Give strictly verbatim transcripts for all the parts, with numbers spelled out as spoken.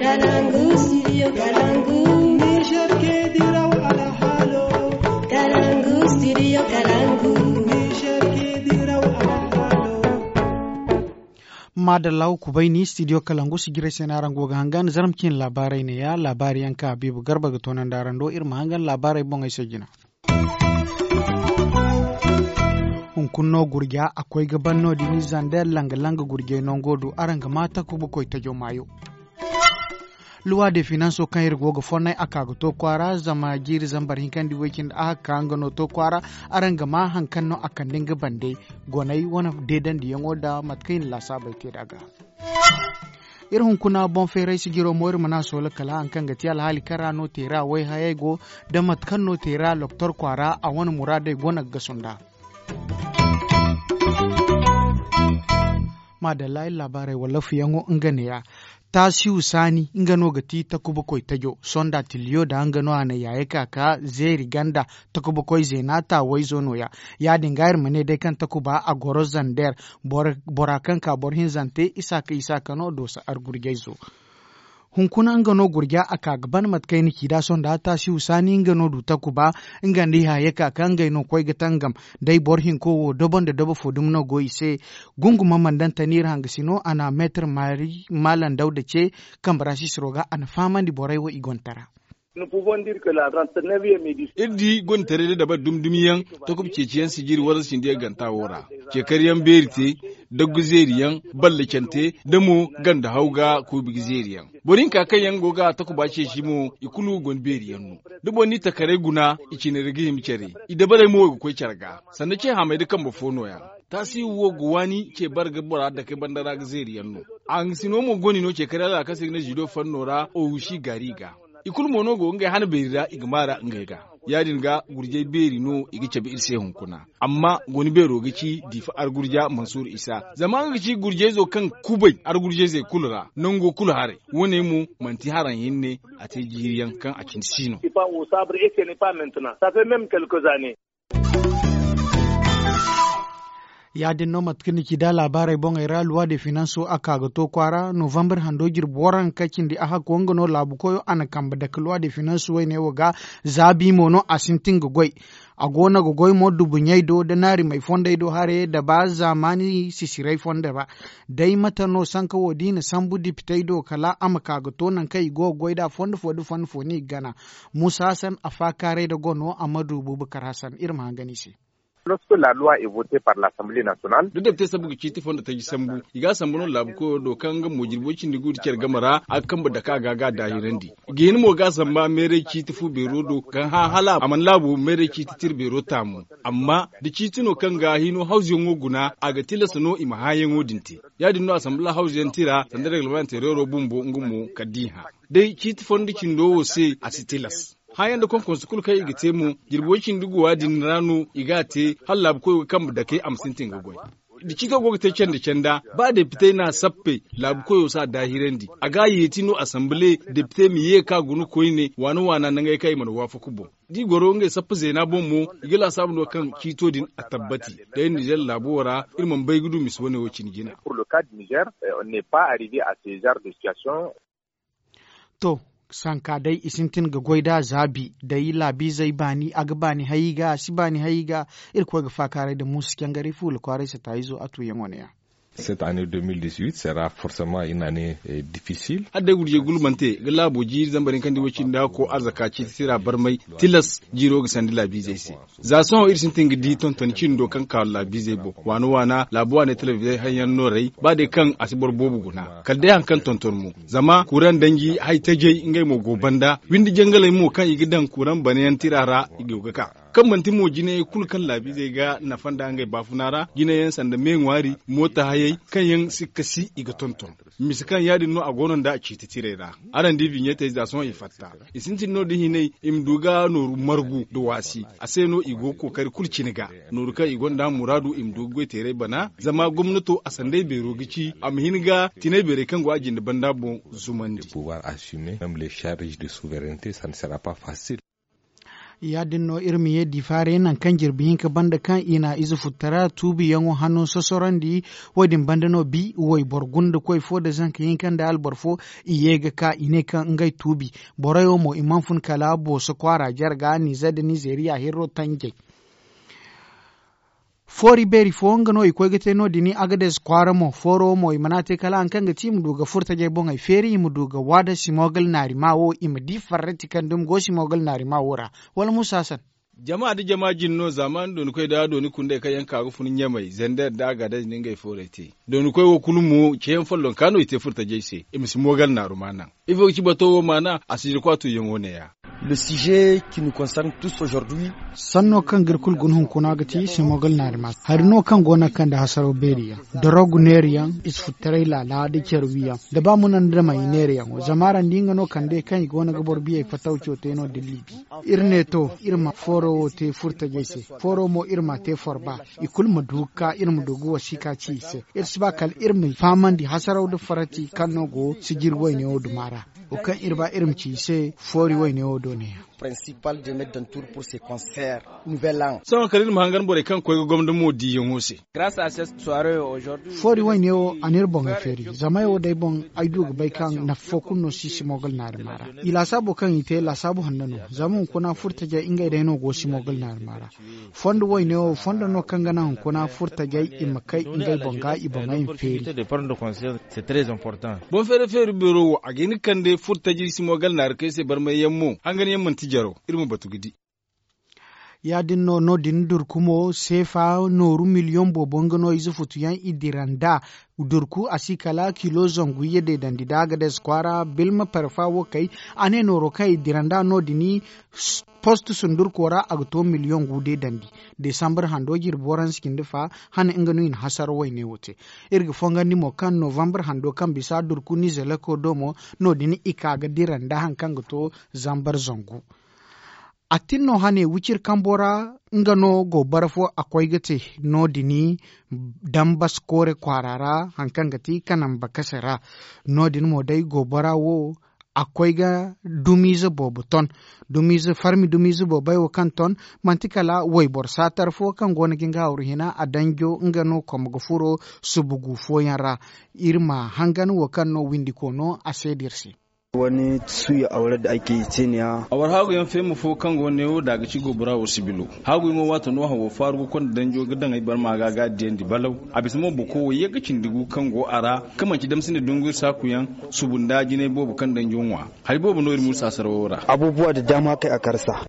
Kalangu, studio Kalangu. Niger ke diraw alhalo. Kalangu, studio Kalangu. Niger ke diraw alhalo. Madalla, wa kubay ni studio Kalangu si jiray se no araŋ go ga hangan zarma cine laabaarey ne ya laabaari yaŋ kaŋ Habiibu Garba ga toonandi araŋ do iri ma hangan laabaarey boŋey se jina. Hunkuna no gurja a koy ga ban no- din zandeer langa-langa gurjey nango du araŋ ga ma takuba koy tajo maayo. Luwa de finanso kaŋ iri go ga fonnay a ka ga to kwaara zama jiiri zambar hinkandi way-cindi a ka nga no to kwaara. Araŋ ga ma haŋ kaŋ no a kande nga bande goney wane deedandiyaŋo nda mate kaŋ i na laasaabey te nd'a ga. Iri hunkuna boŋ feeray sijiro mo iri mana soola kala haŋ kaŋ ga ti alhaali kaŋ ra no teera wayhayey go nda mate kaŋ no teera loktor kwaara a wane muraadey go no ga gasu nd'a. Maadalla iri laabaarey wala fuyaŋo nga neeya. Taasihu saani nga no ga ti takuba koy tajo sonda tiliyo da nga no a na yaaye ka ka zeeri ganda. Takuba koy zeena taawayzo nooya. Ya- din ga iri ma ne day kaŋ takuba a goro zander bora kaŋ ka boro hinzante isaaka isaaka no doosa argurjayzo. Hunkuna nga no gurja a ka ga ban mate kaŋ ay na ci nd'a sohõ nda taasihu saani nga no du takuba. Nga nda i hayey ka ka ngey no koy ga tangam. Day boro hinko wo dobo nda dobo fo dumi no go i se. Gunguma mandantani iri hangasino a na meetar maari maalam dawda ce. Kambe ra sisiro ga a na fahamandi borey wo i gonda tara. Iri di gonda taray da dabari dumi dumi yaŋ. Takuba ceeci yaŋ sijiri warza cindi yaŋ ganta wo ra. Ceekar yaŋ beeri te, daggu zeeri yaŋ, ballacante, da mo ganda haw ga kuubi ga zeeri yaŋ. Boro hinka kaŋ yaŋ go ga takuba ceeci mo i kulu go ni beeri yaŋ no. Da boro n'i takaray guna i cine ra ga hima care. I dabarey mo wo ga koy care ga sanda ce hamay da kambe fo nooya. Taasi wo ga waani ce bare ga bora dake banda ra ga zeeri yaŋ no. A hangasino mo go ni no ce kare ra kaŋ se ga ne zido fanno ra ohusi gaari ga. I kulu mo no go ngey hana beeri ra i ga maara ngey ga. Ya- din ga gurjay beeri no i ga cabe iri se hunkuna. Amma goni beero ga ci diifa argurja mansuur isa zama nga ga ci gurjayzo kaŋ kubay argurjayzey kulu ra nango kulu haray. Wo- ne mo manti haraŋ hinne a te jiiri yaŋ kaŋ a cindi si no. Ya- din no mate kaŋ ni ci da laabaarey boŋey ra luwa de finanso a ka ga to kwaara novambar hando jirbi waranka cindi a hakko nga no laabu koyo a na kambe dake luwa de finanso wayne wo ga. Zaabi mo no a sintin ga goy. A go no ga goy mo dubuɲey do da naarimey fondey do haray da ba zaamaani sisiray fondo ra. Day mate no sanka wo da i na sambu dipitey do kala a ma ka ga to nangu kaŋ i go ga goy nd'a fondo fo da fondo fo no i ga gana. Muusa hasan a faakaaray nda gono a ma du buubakar hasan iri ma hangan i se. Da depite sambu ga ciiti fondo taji sambu i ga a sambu no laabu koyo do kaŋ nga mo jirbo cindi gu nda care game ra a ga kambe dake a ga ga a daahirandi. I ga hin mo ga a samba meeray ciiti fu beero do kaŋ hã hala a mana laabo meeray ciiti tira beero taamu. Amma da ciiti no kaŋ ga hino hawzuyaŋo guna a ga tilas no i ma hãayaŋo din te. Ya- din no a samba la hawzuyaŋ tira sanda reglemanteerero bumbo nga mo kala da i hã. Day ciiti fondo cindo wo se a si tilas. Hãayaŋ nda konkonsu kulu kaŋ i ga te mo jirbo cindi guwa din ra no i ga a te hala laabu koyo ga kambe dake a ma sintin ga goy. Da ciito go ga te canda canda ba depitey n'a sappe laabu koyo si a daahirandi a ga a yeeti no asanbile depitey ma ye ka guna koyne waana waana nangey kaŋ i mana waafaku boŋ. Da i goro ngey sappa zeena boŋ mo i ga laasaabu no kaŋ ciito din a tabbati. Day nizer laabo ra iri mana bay ga du misa wane wo- cine jina. To sanka day i sintin ga goy nd'a zaabi day laabiizey baani a ga baani hay i ga a si baani hay i ga. Irkoy ga faakaaray nda muusa cangaray fuula kwaaray sataayizo a tuuyaŋo ne- ya. Cette année deux mille dix-huit sera forcément une année difficile. Hala day gurjay gulmante ga laabo jiiri zambar hinkandi way-cindi hakko arzaka ciiti tira barmay. Tilas jiiro ga sandi laabiizey se. Za sohõ iri sintin ga di tonton cindo kaŋ ka laabiizey boŋ waana waana laabu waaney talabijey haŋ yaŋ nooray ba day kaŋ a si boro boobo guna kala day haŋ kaŋ tonton mo. Zama kuraŋ danji hay tajey ngey mo go banda windi jangaley mo kaŋ i ga daŋ kuraŋ banayaŋ tira ra i go ga ka. Kaŋ manti mo jinayey kulu kaŋ laabiizey ga nafa nd'a ngey baafuna ra jinayyaŋ sanda me ŋwaari moota hayey kaŋ yaŋ si ga kasi i ga tonton. Misa kaŋ ya- din no a go no nda a ciiti tirey ra. Araŋ di biɲetey za sohõ i fatta. I sintin no da hinay i ma du ga nooru margu nda waasi a se no i go ga kookari kulu cine ga. Nooru kaŋ i gonda muraadu i ma du ga goy teeray bana zama gomnato a sanday beero ga ci a ma hin ga tinay beerey kaŋ go a jinde banda boŋ zumandi. Pouvoir assumer même les charges de souveraineté ça ne sera pas facile. Ya- din no iri ma ye difaarey nangu kaŋ jirbi hinka banda kaŋ i na ize futtara tuubiyaŋo hanno sosorandi. Wo- din banda no bi wayboro gunda koy fo nda zanka hinka nda alboro fo, i ye ga ka i ne kaŋ ngey tuubi. Borey wo mo i mana fun kala booso kwaara jarga nizer nda nizeriya hirro tanjey. Foori beeri fo nga no i koy ga te no- din agades kwaara mo fooro wo mo i mana te kala hari kaŋ ga ti i ma du ga furtajey boŋey feeri i ma du ga waada simogal naari ma wo i ma di farrati kaŋ dumi go simogal naari ma wo ra. Wala musa hasan. Jama nda jama jine no zaamaani dooni koy nda dooni kundey kaŋ yaŋ ka ga fun ɲamey zander nda agades nda ngey foorey te. Dooni koy wo kulu mo ceeyaŋ follonka no i te furtajey se i ma simogal naaru ma naŋ. Ifo ga ci bato wo maana a si jirko a tuuyaŋo ne- ya. Sanno kaŋ ga iri kulu guna hunkuna ga ti simogal naari ma hari no kaŋ go no ga kande hasaraw beeri yaŋ, dorogu neeri yaŋ, ize futtaray laala nda care wi yaŋ, da ba muna nda damay neeri yaŋo zama araŋ di nga no kande kaŋ i go no ga boro biyey fattaw co te no- din liibi. Iri ne to, iri ma fooro wo te furtajey se. Fooro mo iri ma a te forba. I kulu ma du ga ka iri ma du ga wasiika ci i se. Iri si ba kala iri ma fahamandi hasaraw nda farati kaŋ no go sijiri wayne wo duma ra. Wo kaŋ iri ba iri ma ci i se foori wayne wo do ne- ya. Sohõ kala iri ma hangan borey kaŋ ga koy ga gomda mo diiyaŋo se. Foori wayne wo a n'iri boŋey feeri zama ay wo day boŋ ay du ga bay kaŋ nafa fo kulu no si simogal naari ma ra. I laasaabo kaŋ i te laasaabu hanno no. Zama hunkuna furtajey ngey day no go simogal naari ma ra. Fondo wayne wo fondo no kaŋ ga naŋ hunkuna furtajey i ma kay ngey boŋ ga i boŋey ma feeri. Boŋ feeri feeri beero wo a ga hin ga kande furtajey simogal naari kay se barmay yaŋ mo hangan yaŋ manti jaro. Iri ma batu ga di. Ya- din no no- din durku mo seefa nooru miliyoŋ boobo nga no ize futu yaŋ i dira nd'a. Durku a si kala kilo zangu iyye deedandi da agades kwaara bilma parfa wo kay. A ne nooro kaŋ i dira nd'a no- din post sundurko ra a ga to miliyoŋ gu deedandi. Desambar hando jirbi waransa cindi fa hane nga no i na hasara wayne wo te. Iri ga fongandi mo kaŋ novambar hando kaŋ bisa durku nizeleko do mo no- din i ka ga dira nda hari kaŋ ga to zambar zangu. A tin no hane wiciri kambo ra nga no go bara fo a koy ga te no- din dambas koore kwaara ra hari kaŋ ga ti kanamba kase ra. No- din mo day go bara wo a koy ga dumiize boobo ton. Dumiize farmi dumiize boobey wo kaŋ ton manti kala wayboro saatar fo kaŋ go no ga nga hawru hina a danjo nga no komo ga furo subugu fooyaŋ ra. Iri ma hangan wo kaŋ no windiko no a seeda iri se. Awar haagu yaŋ feema fo kaŋ go neewo da a ga ci gobora wo sibilo. Haagu yaŋo waato no hawo faaru ga konda danjo ga daŋ ay barma ga ga diyandi balaw. A bisa mo boko wo ye ga cindi gu kaŋ go a ra, kaŋ manci damsinde dungu iri saaku yaŋ subu nda jinay boobo kaŋ danjo ŋwa. Hari boobo no iri mursa sarawo ra. Abubuwa da dama kay a karsa.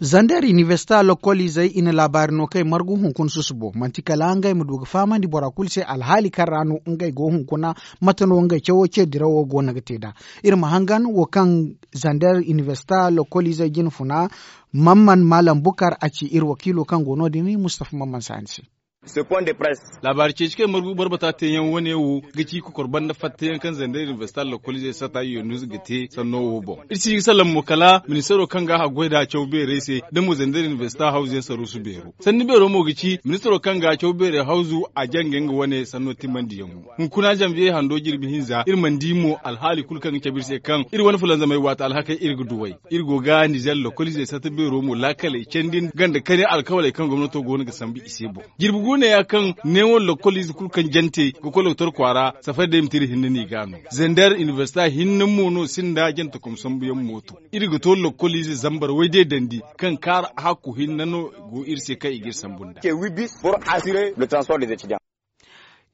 Zander inibersita lokoliizey i na laabaari no kaŋ i margu hunkuna susubo manti kala ngey ma du ga fahamandi bora kulu se alhaali kaŋ ra no ngey go hunkuna. Mate no ngey cawo ce dirawo go no ga te nd'a? Iri ma hangan wo kaŋ zander inibersita lokoliizey jine funa. Mamman maalam bukar a ci iri wakiilo kaŋ go no- din mustafa mamman saani se. Laabaari ceeci kaŋ margu boro bata teeyaŋ wane wo ga ci kokor banda fattayaŋ kaŋ zander inibersita lokoliizey sata yonus ga te sanno wo boŋ. Iri si ga salaŋ mo kala ministaro kaŋ ga a goy nd'a caw beerey se da mo zander inibersita hawzu yaŋ saruusu beero. Sanni beero mo ga ci ministaro kaŋ ga caw beerey hawzu a janga nga wane sanno timandiyaŋo. Hunkuna zanbiye hando jirbi hinza iri mana di mo alhaali kulu kaŋ ga cabe iri se kaŋ iri wane fulanzamey waati alhakey iri ga duw'ey. Iri go ga nizer lokoliizey sata beero mo laakaley candi ganda kani alkawaley kaŋ gomnato go no ga sambu i se boŋ. Jirbi guuneya kaŋ neewo lokoliize kulu kaŋ jante ga koy lokotor kwaara safari day ma te iri hinne no i ga no. Zander inibersita hinne mo no sinda jante kom sambuyaŋ mooto. Iri ga to lokoliize zambar wayde dandi kaŋ kaara hakku hinne no go iri se kaŋ i ga iri sambu nd'a.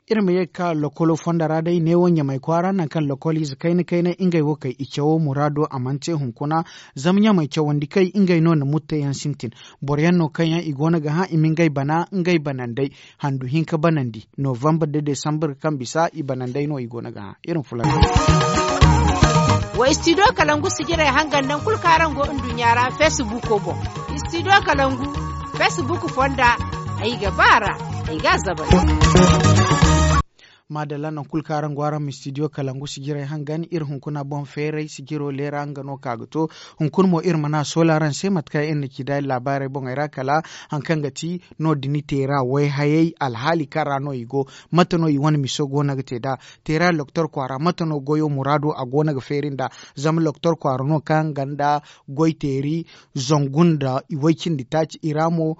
Iri ma ye ga ka lokolo fonda ra day neewo ɲamay kwaara nangu kaŋ lokoliize kayna kayna ngey wo kay i cawo muraado a mana te hunkuna. Zama ɲamay cawandi kay ngey no na mutteyaŋ sintin. Boro yaŋ no kaŋ yaŋ i go no ga hã i ma ngey bana ngey banandey handu hinka banandi novambar da desambar kaŋ bisa i banandey no i go no ga hã. Iri ma fulanzam. Wa istidiyo kalangu sijirey hangan naŋ kulu kaŋ araŋ go nduɲɲa ra feesibuuko boŋ. Istidiyo kalangu feesibuuk fonda ay ga ba a ra. Ay ga a zabay. Maadalla nangu kulu kaŋ araŋ go araŋ ma studio kalangu sijirey hangan iri hunkuna boŋ feeray sijiro leera nga no ka ga to. Hunkuna mo iri mana soola araŋ se mate kaŋ iri na ci da iri laabaarey boŋey ra kala haŋ kaŋ ga ti no- din teera wayhayey alhaali kaŋ ra no i go. Mate no i wane miso go no ga te nd'a? Teera loktor kwaara mate no goyo muraado a go no ga feeri nd'a? Zama loktor kwaara no kaŋ ganda goy teeri zangu nda iway cindi taaci i ra mo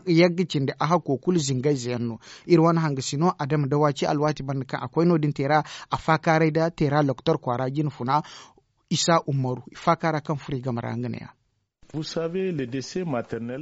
yagga cindi a hakko kulu zingayze yaŋ no. Iri wane hangasino adama da waaci alwaati banda kaŋ a koy no- din teera a faakaaray nda teera loktor kwaara jina funa isa ummaru i faakaara kaŋ furo i game ra nga ne- ya.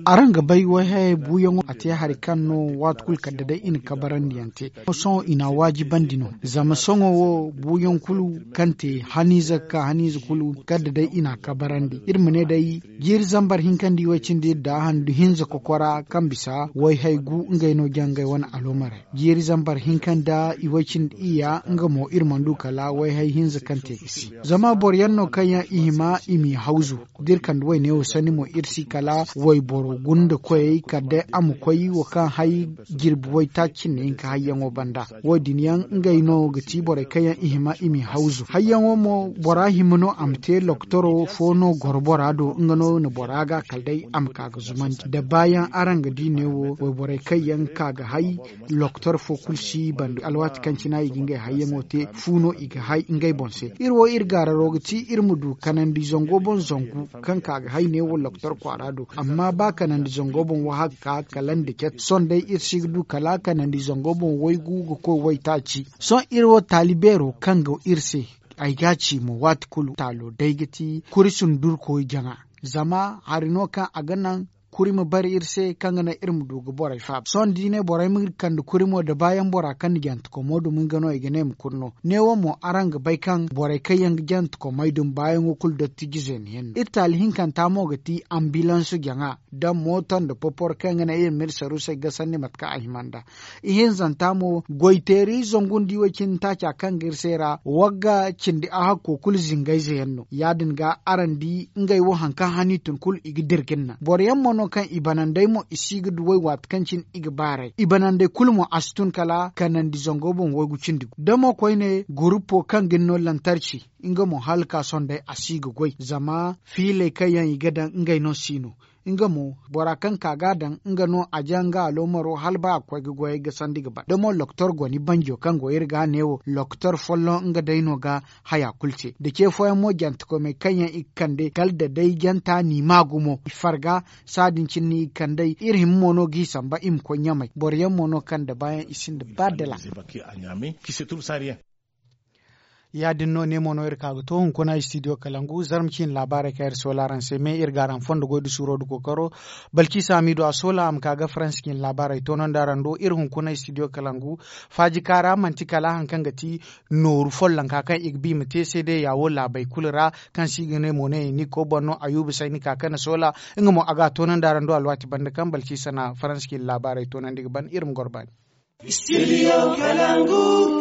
Araŋ ga bay wayhayey buuyaŋo a te hari kaŋ no waati kulu kala da day i na kabarandi yaŋ te. Sohõ i n'a waajibandi no zama sohõ wo buuyaŋ kulu kaŋ te haniize ga ka haniize kulu kala da day i n'a kabarandi iri ma ne day jiiri zambar hinka nda iway cindi iri da handu hinza kokora kaŋ bisa wayhay gu ngey no jaŋ ngey wane aloomarey. Jiiri zambar hinka nda iway cindi iyya nga mo iri mana du kala wayhay hinza kaŋ te ga si. Zama boro yaŋ no kaŋ yaŋ i hima i m'i hawzu da iri kande wayne wo sanni mo iri si kala wayboro gunda koyey kala day a ma koy wo kaŋ hay jirbi waytaaci cindi hinka hayyaŋo banda. Wo- din yaŋ ngey no ga ti borey kaŋ yaŋ i hima i m'i hawzu hayyaŋo mo bora hima no a ma te loktoro fo no goro bora do nga no na bora ga kala day a ma ka ga zumandi da baayaŋ araŋ ga di neewo wayborey kaŋ yaŋ ka ga hay. Lokotor fo kulu si banda alwaati kaŋ cina i ga ngey hayyaŋo te fu no i ga hay ngey boŋ se. Iri wo iri gaararo ga ti iri ma du kanandi zango boŋ zangu kaŋ ka ga hay neewo lokotor kwaara do amma ba kanandi zango boŋ wo hagga ka kala nda cati sohõ day iri si ga du kala kanandi zango boŋ waygu ga koy waytaaci. Sohõ iri wo taali beero kaŋ go iri se ay ga a ci mo waati kulu taalo day ga ti kuri sundurkoy jaŋa. Zama hari no kaŋ a ga naŋ kuri ma bare iri se kaŋ ga naŋ iri ma du ga borey faaba sohõ da i ne borey ma kande kuri mo da baayaŋ bora kaŋ na jantekomo dumi nga no i ga ne ma kuri no. Neewo mo araŋ ga bay kaŋ borey kaŋ yaŋ ga jantekomey dumi baayaŋo kulu dottijizey na yaŋ no iri taali hinkanta mo ga ti ambilansu jaŋa da mooto nda popor kaŋ ga naŋ iri ma iri saruusey gasandi mate kaŋ a hima nd'a. Ihinzanta mo goyteeri zangu nda iway cindi taaca kaŋ ga iri se ra wagga cindi a hakko kulu zingayze yaŋ no ya- din ga araŋ di ngey wo hari kaŋ hani tun kulu i ga dira ga ni naŋ boro yaŋ mo no kaŋ i banandey mo i si ga duw'ey waati kaŋ cine i ga baar'ey i banandey kulu mo a si tun kala kanandi zango boŋ waygu cindi gu da mo koyne gurupo kaŋ ga ni no lantarci nga mo hala ka sohõ day a si ga goy zama fiiley kaŋ yaŋ i ga daŋ ngey no si no. Nga mo bora kaŋ ka ga a daŋ nga no a ja nga aloomaro hala ba a ga koy ga goyey gasandi ga ban da mo lokotor goni banjo kaŋ go iri ga a ne wo lokotor folloŋ nga day no ga haya kulu te da ce fooyaŋ mo jantekomey kaŋ yaŋ i ga kande kala da day janta n'i ma gumo i farga. Saadin cine no i ga kand'ey iri hima mo no ga i samba i ma koy ɲamey boro yaŋ mo no kaŋ da baayaŋ i sinda ba dala. Ya- din no ne mo no iri ka ga to hunkuna studio kalangu zarma ciine laabaarey kaŋ iri soola araŋ se me iri ga araŋ fondo goy da suuro da kookaro. Balciisa hamiidu a soola a ma ka ga faransa ciine laabaarey toonandi araŋ do iri hunkuna studio kalangu. Faaji kaara manti kala hari kaŋ ga ti nooru follonka kaŋ i ga ba i ma te seedeya wo laabey kulu ra kaŋ se i ga ne mo ne ni koy boŋ no ayuba sayni ka kaŋ na soola. Nga mo a ga a toonandi araŋ do alwaati banda kaŋ balciisa na faransa ciine laabaarey toonandi ga ban iri ma goro baani.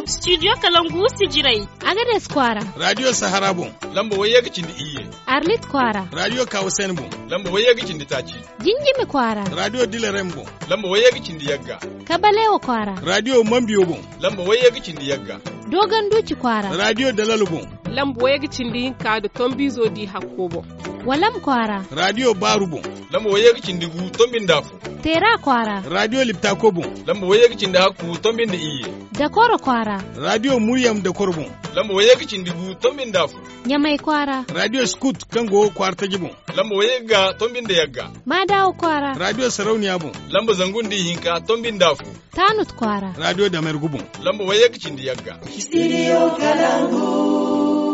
Studio kalangu sijirey. Agades kwaara. Radio sahara boŋ. Lamba wayye ga cindi iyye. Arlit kwaara. Radio kawasen boŋ. Lamba wayye ga cindi taaci. Jinjimi kwaara. Radio dilerem boŋ. Lamba wayye ga cindi yagga. Kabalewa kwaara. Radio mambiyo boŋ. Lamba wayye ga cindi yagga. Dogon duci kwaara. Radio dalalo boŋ. Lamba wayye ga cindi hinka da tombizo di hakko boŋ. Walam kwaara. Radio baaru boŋ. Lamba wayye ga cindi gu tombi nda afo. Teera kwaara. Radio liptako boŋ. Lamba wayye ga cindi hakku tombi nda iyye. Dakoro kwaara. Radio muryam dakoro boŋ. Lamba wayye ga cindi gu tombi nda afo. Ɲamay kwaara. Radio skut kaŋ go kwaara taji boŋ. Lamba wayye ga tombi nda yagga. Maadawa kwaara. Radio sarauniya boŋ. Lamba zangu nda ihinka tombi nda afo. Taanut kwaara. Radio damergu boŋ. Lamba wayye ga cindi yagga. Studio kalangu.